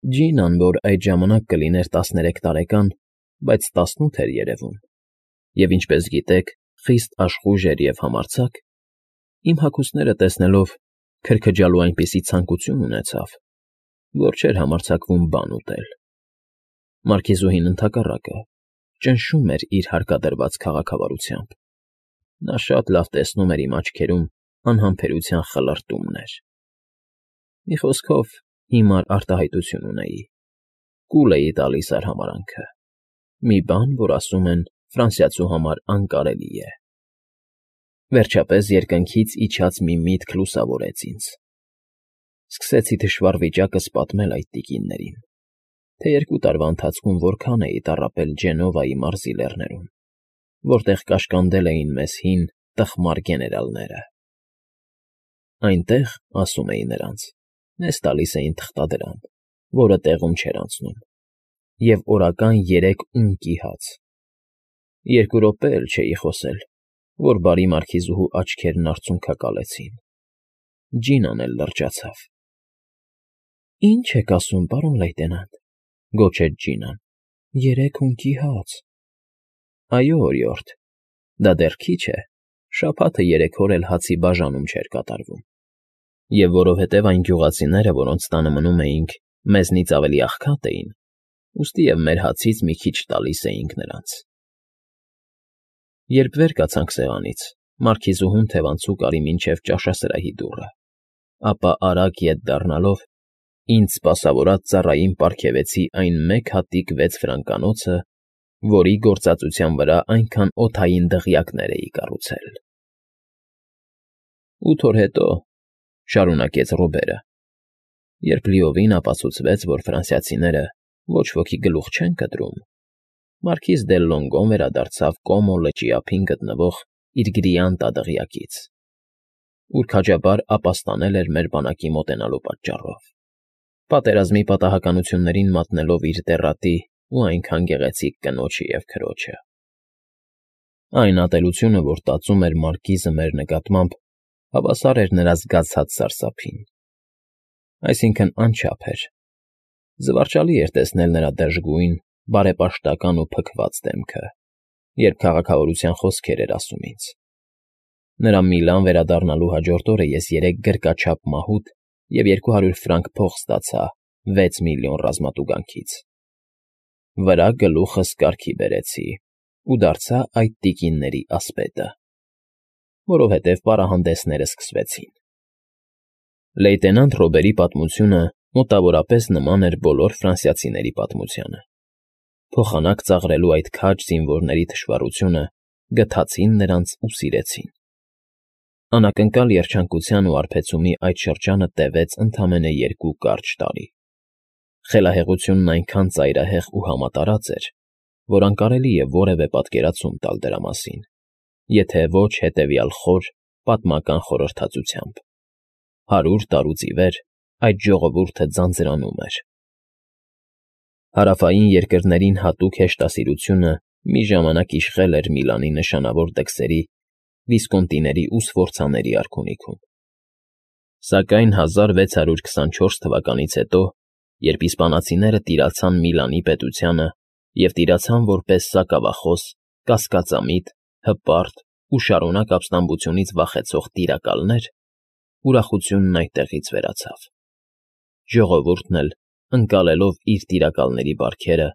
Ջինան, որ այդ ժամանակ կլիներ 13 տարեկան, բայց 18 էր երևում, և, ինչպես գիտեք, խիստ աշխույժ էր և համարձակ, իմ հագուստները տեսնելով քրքջալու այնպիսի ցանկություն ունեցավ, որ չէր համարձակվում բան ուտել։ Մարքիզուհին, ընդհակառակը, ճնշում էր իր հարկադրված քաղաքավարությամբ. նա շատ լավ տեսնում էր իմ աչքերում անհամբերության խլրտումներ։ Մի խոսքով, հիմար արտահայտություն ունեի, կուլ էի տալիս արհամարհանքը, մի բան, որ ասում են ֆրանսիացու համար անկարելի է։ Վերջապես երկնքից իջած մի միտք լուսավորեց ինձ. սկսեցի թշվառ վիճակս պատմել այդ տիկիններին, թե 2 տարվա ընթացքում որքան էի տառապել Ջենովայի մարզի լեռներում, որտեղ կաշկանդել էին մեզ հին, տխմար գեներալները։ Այնտեղ, ասում էի նրանց, մեզ տալիս էին թղթադրամ, որը տեղում չէր անցնում, և օրական 3 ունկի հաց։ 2 րոպե էլ չէի խոսել, որ բարի մարքիզուհու աչքերն արցունքակալեցին։ Ջինան էլ լրջացավ։ ֊ Ի՞նչ եք ասում, պարոն լեյտենանտ,֊ գոչեց Ջինան,֊ 3 ունկի հաց… Այո, օրիորդ, դա դեռ քիչ է, շաբաթը 3 օր էլ հացի բաժանում չէր կատարվում, և որովհետև այն գյուղացիները, որոնց տանը մնում էինք, մեզնից ավելի աղքատ էին, ուստի և մեր հացից մի քիչ տալիս էինք նրանց։ Երբ վեր կացանք սեղանից, մարքիզուհուն թևանցուկ արի մինչև ճաշասրահի դուռը, ապա արագ ետ դառնալով, ինձ սպասավորած ծառային պարգևեցի այն 1 հատիկ 6 ֆրանկանոցը, որի գործածության վրա այնքան օդային դղյակներ էի կառուցել։ 8 օր հետո, շարունակեց Ռոբերը, երբ լիովին ապացուցվեց, որ ֆրանսիացիները ոչ ոքի գլուխ չեն կտրում, մարքիզ դե Լոնգոն վերադարձավ Կոմո լճի ափին գտնվող իր գրիանտա դղյակից, ուր քաջաբար ապաստանել էր մեր բանակի մոտենալու պատճառով, պատերազմի պատահականություններին մատնելով իր տեռատի ու այնքան գեղեցիկ կնոջը և քրոջը։ Այն ատելությունը, որ տածում էր մարքիզը մեր նկատմամբ, հավասար էր նրա զգացած սարսափին, այսինքն՝ անչափ էր։ Զվարճալի էր տեսնել նրա դժգույն, բարեպաշտական ու փքված դեմքը, երբ քաղաքավարության խոսքեր էր ասում ինձ։ Նրա Միլան վերադառնալու հաջորդ օրը ես 3 գրկաչափ մահութ և 200 ֆրանկ փող ստացա 6 միլիոն ռազմատուգանքից։ Վրա գլուխս կարգի բերեցի ու դարձա այդ տիկինների ասպետը, որովհետև պարահանդեսները սկսվեցին։ Լեյտենանտ Ռոբերի պատմությունը մոտավորապես նման էր բոլոր ֆրանսիացիների պատմությանը։ Փոխանակ ծաղրելու այդ քաջ զինվորների թշվառությունը գթացին նրանց ու սիրեցին։ Անակնկալ երջանկության ու արբեցումի այդ շրջանը տևեց ընդամենը 2 կարճ տարի։ Խելահեղությունն այնքան ծայրահեղ ու համատարած էր, որ անկարելի է որևէ պատկերացում տալ դրա մասին, եթե ոչ հետևյալ խոր, պատմական խորհրդածությամբ. 100 տարուց ի վեր այդ ժողովուրդը ձանձրանում էր։ Հարավային երկրներին հատուկ հեշտասիրությունը մի ժամանակ իշխել էր Միլանի նշանավոր դքսերի Վիսկոնտիների ու Սֆորցաների արքունիքում։ Սակայն 1624 թվականից հետո, երբ իսպանացիները տիրացան Միլանի պետությանը և տիրացան որպես սակավախոս, կասկածամիտ, հպարտ ու շարունակ ապստամբությունից վախեցող տիրակալներ, ուրախությունն այդտեղից վերացավ։ Ժողովուրդն էլ, ընկալելով իր տիրակալների բարքերը,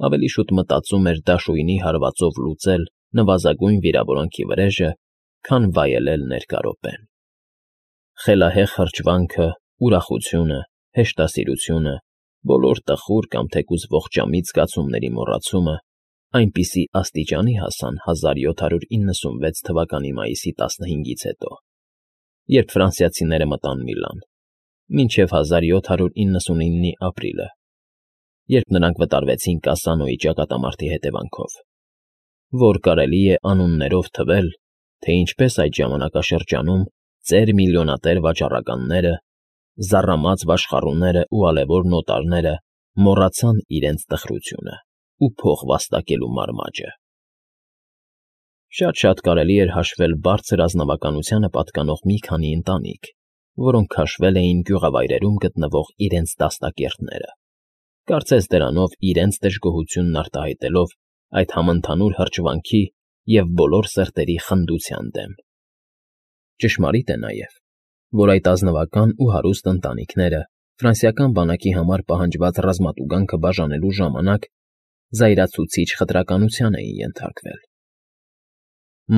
ավելի շուտ մտածում էր դաշույնի հարվածով լուծել նվազագույն վիրավորանքի վրեժը, քան վայելել ներկա րոպեն։ Խելահեղ հրճվանքը, ուրախությունը, հեշտասիրությունը, բոլոր տխուր կամ թեկուզ ողջամիտ զգացումների մոռացումը այնպիսի աստիճանի հասան 1796 թվականի մայիսի 15-ից հետո, երբ ֆրանսիացիները մտան Միլան, մինչև 1799-ի ապրիլը, երբ նրանք վտարվեցին Կասանոյի ճակատամարտի հետևանքով, որ կարելի է անուններով թվել, թե ինչպես այդ ժամանակաշրջանում ծեր միլիոնատեր վաճառականները, զառամած վաշխառուներն ու ալևոր նոտարները մոռացան իրենց տխրությունը ու փող վաստակելու մարմաճը։ Շատ-շատ կարելի էր հաշվել բարձր ազնվականությանը պատկանող մի քանի ընտանիք, որոնք քաշվել էին գյուղավայրերում գտնվող իրենց դաստակերտները, Կարծես դրանով իրենց դժգոհությունն արտահայտելով այդ համընդհանուր հրճվանքի և բոլոր սրտերի խնդության դեմ։ Ճշմարիտ է նաև, որ այդ ազնվական ու հարուստ ընտանիքները ֆրանսիական բանակի համար պահանջված ռազմատուգանքը բաժանելու ժամանակ զայրացուցիչ խտրականության էին ենթարկվել։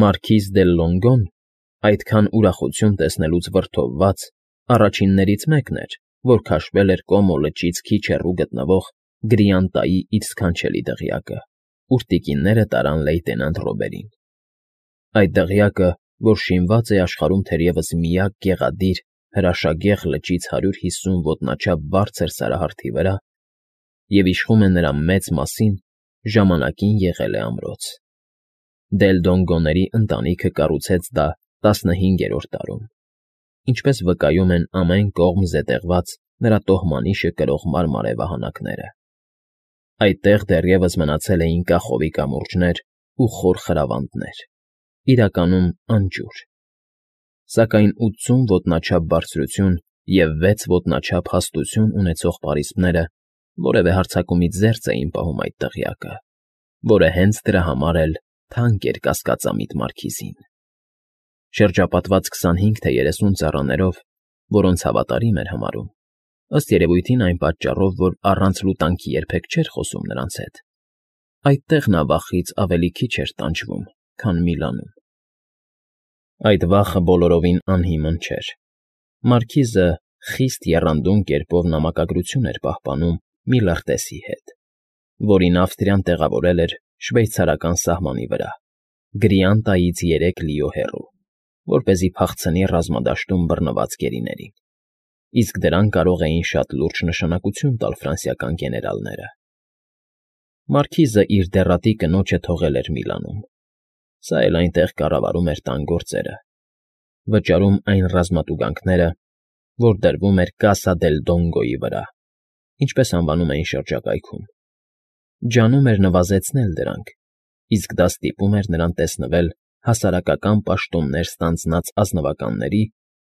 Մարքիզ դե Լոնգոն, այդքան ուրախություն տեսնելուց վրդովված, առաջիններից մեկն էր, որ քաշվել էր Կոմո լճից քիչ հեռու գտնվող Գրիանտայի իր սքանչելի դղյակը, ուր տիկինները տարան լեյտենանտ Ռոբերին։ Այդ դղյակը, որ շինված է աշխարհում թերևս միակ գեղադիր, հրաշագեղ լճից 150 ոտնաչափ բարձր սարահարթի վրա, և իշխում է նրա մեծ մասին, ժամանակին եղել է ամրոց։ Դելդոնգոների ընտանիքը կառուցեց դա 15-րդ դարում, ինչպես վկայում են ամեն կողմ զետեղված նրա տոհմանիշը կրող մարմարե վահանակները։ Այդտեղ դեռևս մնացել էին կախովի կամուրջներ ու խոր խրավանդներ, իրականում անջուր, սակայն 80 ոտնաչափ բարձրություն և 6 ոտնաչափ հաստություն ունեցող պարիսպները որևէ հարձակումից զերծ էին պահում այդ դղյակը, որը հենց դրա համար էլ թանկ էր կասկածամիտ մարքիզին։ Շրջապատված 25 թե 30 ծառաներով, որոնց հավատարիմ էր համարում, ըստ երևույթին այն պատճառով, որ առանց լուտանքի երբեք չէր խոսում նրանց հետ, այդտեղ նա վախից ավելի քիչ էր տանջվում, քան Միլանում։ Այդ վախը բոլորովին անհիմն չէր։ Մարքիզը խիստ եռանդուն կերպով նամակագրություն էր պահպանում մի լրտեսի հետ, որին Ավստրիան տեղավորել էր շվեյցարական սահմանի վրա, Գրիանտայից 3 լիո հեռու, որպեսզի փախցնի ռազմադաշտում բռնված գերիներին, իսկ դրան կարող էին շատ լուրջ նշանակություն տալ ֆրանսիական գեներալները։ Մարքիզը իր դեռատի կնոջը թողել էր Միլանում, սա էլ այնտեղ կառավարում էր տան գործերը, վճարում այն ռազմատուգանքները, որ դրվում էր Կասա դել Դոնգոյի վրա, ինչպես անվանում էին շրջակայքում, ջանում էր նվազեցնել դրանք, իսկ դա ստիպում էր նրան տեսնվել հասարակական պաշտոններ ստանձնած ազնվականների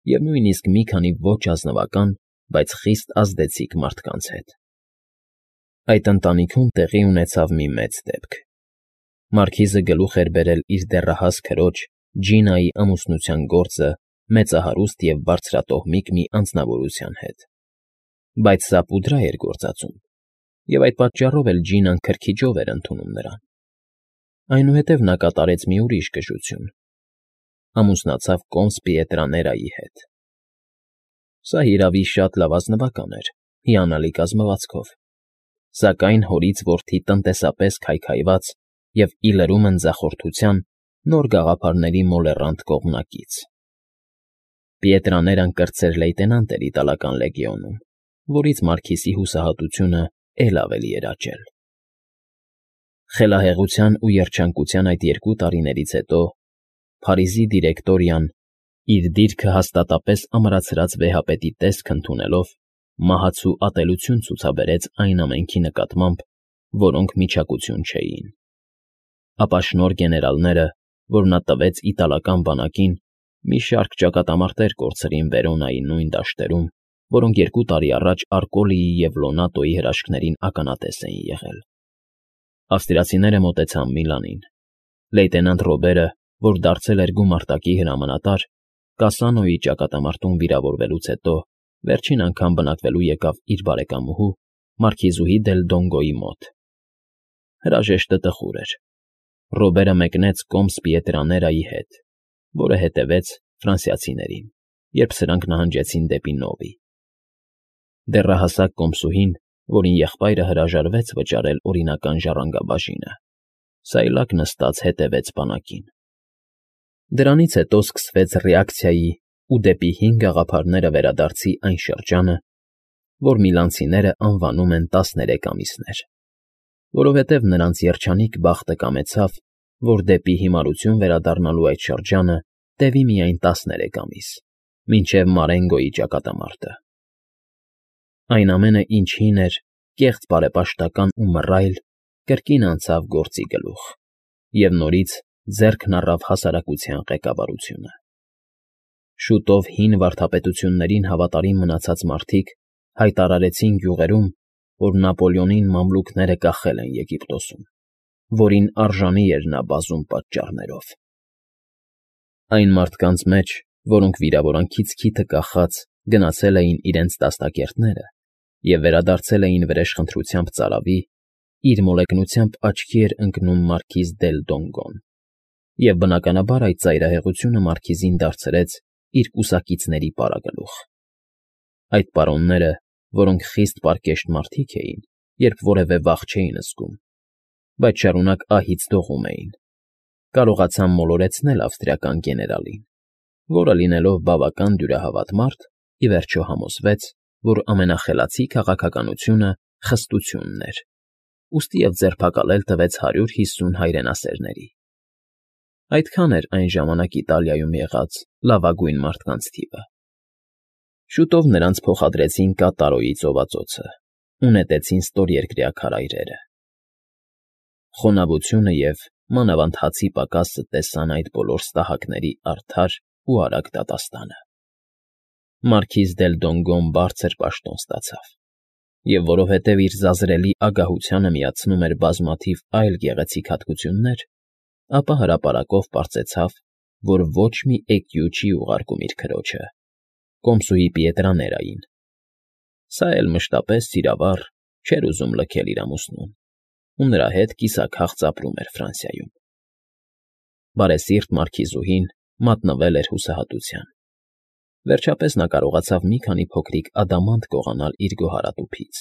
և նույնիսկ մի քանի ոչ ազնվական, բայց խիստ ազդեցիկ մարդկանց հետ։ Այդ ընտանիքում տեղի ունեցավ մի մեծ դեպք։ Մարքիզը գլուխ էր բերել իր դեռահաս քրոջ Ջինայի ամուսնության գործը մեծահարուստ և բարձրատոհմիկ մի անձնավորության հետ, բայց սա պուդրա էր գործածում, և այդ պատճառով էլ Ջինան քրքիջով էր ընդունում նրան։ Այնուհետև նա կատարեց մի ուրիշ գժություն. ամուսնացավ կոմս Պիետրաներայի հետ։ Սա, հիրավի, շատ լավ ազնվական էր, հիանալի կազմվածքով, սակայն հորից որդի տնտեսապես քայքայված և ի լրումն ձախորդության նոր գաղափարների մոլեռանդ կողմնակից։ Պիետրաներան կրտսեր լեյտենանտ էր իտալական լեգիոնում, որից Մարքիզի հուսահատությունը էլ ավելի էր աճել։ Խելահեղության ու երջանկության այդ 2 տարիներից հետո Փարիզի դիրեկտորիան, իր դիրքը հաստատապես ամրացրած վեհապետի տեսք ընդունելով, մահացու ատելություն ցուցաբերեց այն ամենքի նկատմամբ, որոնք միջակություն չէին։ Ապա շնորհ գեներալները, որ նա տվեց իտալական բանակին, մի շարք ճակատամարտեր կորցրին Վերոնայի նույն դաշտերում, որոնք 2 տարի առաջ Արկոլիի և Լոնատոյի հրաշքներին ականատես էին եղել։ Ավստրիացիները մոտեցան Միլանին։ Լեյտենանտ Ռոբերը, որ դարձել էր գումարտակի հրամանատար, Կասանոյի ճակատամարտում վիրավորվելուց հետո վերջին անգամ բնակվելու եկավ իր բարեկամուհու Մարքիզուհի դել Դոնգոյի մոտ։ Հրաժեշտը տխուր էր։ Ռոբերը մեկնեց կոմս Պիետրաներայի հետ, որը հետևեց ֆրանսիացիներին, երբ սրանք նահանջեցին դեպի Նովի։ Դեռահասակ կոմսուհին, որին եղբայրը հրաժարվեց վճարել օրինական ժառանգաբաժինը, սայլակ նստած հետևեց բանակին։ Դրանից հետո սկսվեց ռեակցիայի ու դեպի հին գաղափարները վերադարձի այն շրջանը, որ միլանցիները անվանում են 13 ամիսներ, որովհետև նրանց երջանիկ բախտը կամեցավ, որ դեպի հիմարություն վերադառնալու այդ շրջանը տևի միայն 13 ամիս, մինչև Մարենգոյի ճակատամարտը։ Այն ամենը, ինչ հին էր, կեղծ բարեպաշտական ու մռայլ, կրկին անցավ գործի գլուխ, և նորից ձեռքն առավ հասարակության ղեկավարությունը։ Շուտով հին վարդապետություններին հավատարիմ մնացած մարդիկ հայտարարեցին գյուղերում, որ Նապոլեոնին մամլուքները կախել են Եգիպտոսում, որին արժանի էր նա բազում պատճառներով։ Այն մարդկանց մեջ, որոնք վիրավորանքից քիթը կախած գնացել էին իրենց դաստակերտները և վերադարձել էին վրեժխնդրությամբ ծարավի, իր մոլեգնությամբ աչքի էր ընկնում մարքիզ դել Դոնգոն, և բնականաբար այդ ծայրահեղությունը մարքիզին դարձրեց իր կուսակիցների պարագլուխ։ Այդ պարոնները, որոնք խիստ պարկեշտ մարդիկ էին, երբ որևէ վախ չէին զգում, բայց շարունակ ահից դողում էին, կարողացան մոլորեցնել ավստրիական գեներալին, որը, լինելով բավական դյուրահավատ մարդ, ի վերջո համոզվեց, որ ամենախելացի քաղաքականությունը խստությունն էր, ուստի և ձերբակալել տվեց 150 հայրենասերների։ Այդքան էր այն ժամանակ Իտալիայում եղած լավագույն մարդկանց թիվը։ Շուտով նրանց փոխադրեցին Կատարոյի ծովածոցը ու նետեցին ստորերկրյա քարայրերը։ Խոնավությունը և մանավանդ հացի պակասը տեսան այդ բոլոր ստահակների արդար ու արագ դատաստանը։ Մարքիզ դել Դոնգոն բարձր պաշտոն ստացավ, և որովհետև իր զազրելի ագահությանը միացնում էր բազմաթիվ այլ գեղեցիկ հատկություններ, ապա հրապարակով պարծեցավ, որ ոչ մի էկյու չի ուղարկում իր քրոջը, կոմսուհի Պիետրաներային։ Սա էլ մշտապես սիրավառ չէր ուզում լքել իր ամուսնուն, ու նրա հետ կիսաքաղց ապրում էր Ֆրանսիայում։ Բարեսիրտ մարքիզուհին մատնվել էր հուսահատության։ Վերջապես նա կարողացավ մի քանի փոքրիկ ադամանտ գողանալ իր գոհարատուփից,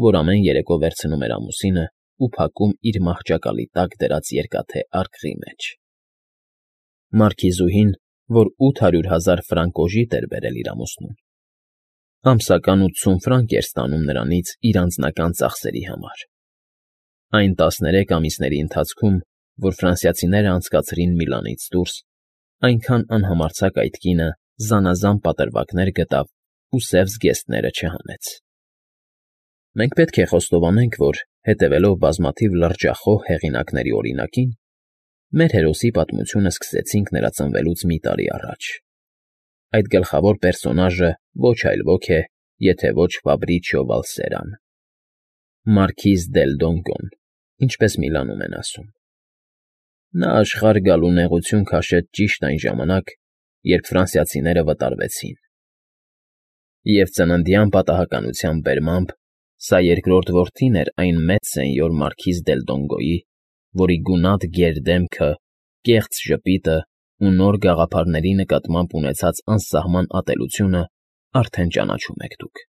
որ ամեն երեկո վերցնում էր ամուսինը ու փակում իր մահճակալի տակ դրած երկաթե արկղի մեջ։ Մարքիզուհին, որ 800,000 ֆրանկ օժիտ էր բերել իր ամուսնուն, ամսական 80 ֆրանկ էր ստանում նրանից իր անձնական ծախսերի համար։ Այն 13 ամիսների ընթացքում, որ ֆրանսիացիները անցկացրին Միլանից դուրս, այնքան անհամարձակ այդ կինը զանազան պատրվակներ գտավ ու սև զգեստները չհանեց։ Մենք պետք է խոստովանենք, որ, հետևելով բազմաթիվ լրջախոհ հեղինակների օրինակին, մեր հերոսի պատմությունը սկսեցինք նրա ծնվելուց մի տարի առաջ։ Այդ գլխավոր պերսոնաժը ոչ այլ ոք է, եթե ոչ Ֆաբրիչիո Վալսերան, մարքիզ դել Դոնգոն, ինչպես Միլանում են ասում։ Նա աշխարհ գալու նեղություն քաշեց ճիշտ այն ժամանակ, երբ ֆրանսիացիները վտարվեցին։ Եվ ծննդյան պատահականության բերմամբ սա երկրորդ որդին էր այն մեծ սենյոր մարքիզ դել Դոնգոյի, որի գունատ գեր դեմքը, կեղծ ժպիտը ու նոր գաղափարների նկատմամբ ունեցած անսահման ատելությունը արդեն ճանաչում եք դուք։